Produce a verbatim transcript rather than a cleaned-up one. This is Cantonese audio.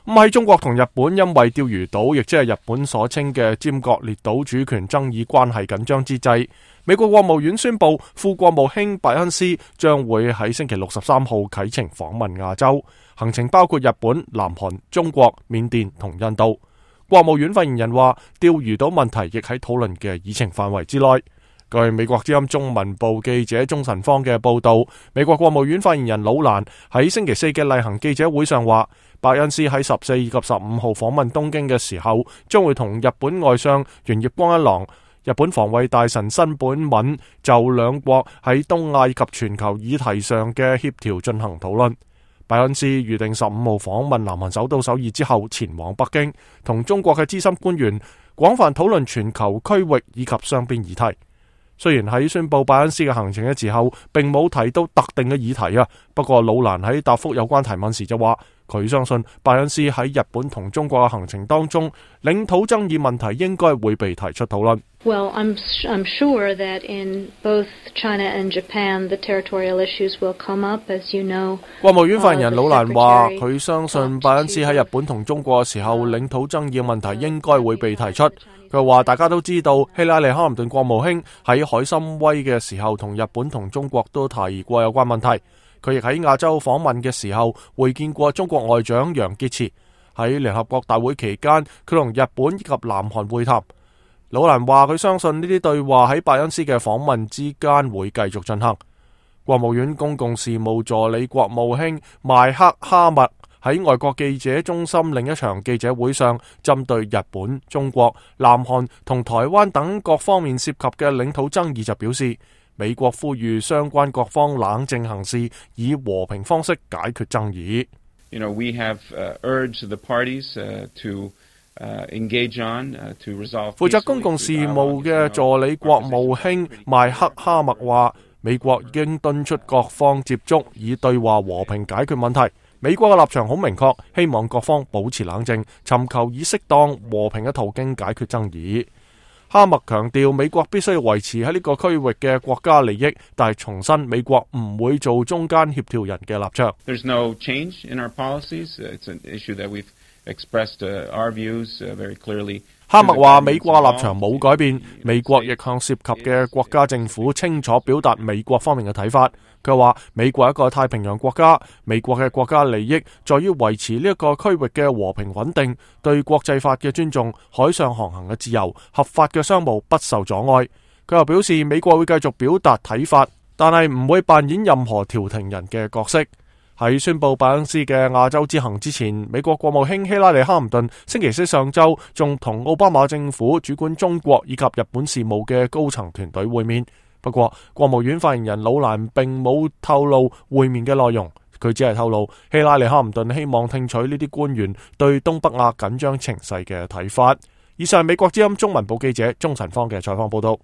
咁喺中國同日本因為釣魚島，亦即係日本所稱嘅尖閣列島主權爭議關係緊張之際，美國國務院宣布，副國務卿拜恩斯將會喺星期六十三號啟程訪問亞洲，行程包括日本、南韓、中國、緬甸同印度。國務院發言人話，釣魚島問題亦喺討論嘅議程範圍之內。據美國之音中文部記者鍾晨芳嘅報道，美國國務院發言人魯蘭喺星期四嘅例行記者會上話，拜恩斯喺十四以及十五號訪問東京嘅時候，將會同日本外相猿葉光一郎、日本防衛大臣新本敏就兩國喺東亞及全球議題上嘅協調進行討論。拜恩斯預定十五號訪問南韓首都首爾之後，前往北京，同中國嘅資深官員廣泛討論全球區域以及雙邊議題。雖然喺宣布拜恩斯嘅行程嘅時候，並冇提到特定嘅議題啊，不過魯蘭喺答覆有關提問時就話，佢相信拜恩斯喺日本同中國嘅行程當中，領土爭議問題應該會被提出討論。Well, I'm I'm sure that in both China and Japan, the territorial issues will come up, as you know. 國務院發言人魯蘭話，佢相信拜恩斯喺日本同中國嘅時候，領土爭議嘅問題應該會被提出。佢話大家都知道，希拉里·克林頓國務卿喺海參崴嘅時候，同日本同中國都提過有關問題。佢亦喺亞洲訪問嘅時候會見過中國外長楊潔篪。喺聯合國大會期間，佢同日本以及南韓會談。魯蘭話佢相信呢啲對話喺拜恩斯嘅訪問之間會繼續進行。國務院公共事務助理國務卿邁克哈默喺外國記者中心另一場記者會上，針對日本、中國、南韓同台灣等各方面涉及嘅領土爭議就表示，美國呼籲相關各方冷靜行事，以和平方式解決爭議。You know, we have uh, urged the parties uh, to uh, engage on uh, to resolve. 負責公共事務嘅助理國務卿邁克哈默話，美國已經敦促各方接觸，以對話和平解決問題。美國嘅立場好明確，希望各方保持冷靜，尋求以適當和平嘅途徑解決爭議。哈默強調，美國必須要維持喺呢個區域嘅國家利益，但係重申美國唔會做中間協調人嘅立場。There's no change in our policies. It's an issue that we've expressed our views very clearly. 哈默話美國立場冇改變，美國亦向涉及嘅國家政府清楚表達美國方面嘅睇法。佢話美國係一個太平洋國家，美國嘅國家利益在於維持呢一個區域嘅和平穩定，對國際法嘅尊重，海上航行嘅自由，合法嘅商務不受阻礙。佢又表示美國會繼續表達睇法，但係唔會扮演任何調停人嘅角色。喺宣布拜恩斯嘅亞洲之行之前，美國國務卿希拉里·克林頓星期四上晝仲同奧巴馬政府主管中國以及日本事務嘅高層團隊會面。不過，國務院發言人魯蘭並冇透露會面嘅內容，佢只係透露希拉里·克林頓希望聽取呢啲官員對東北亞緊張情勢嘅睇法。以上係美國之音中文部記者鍾晨芳嘅採訪報道。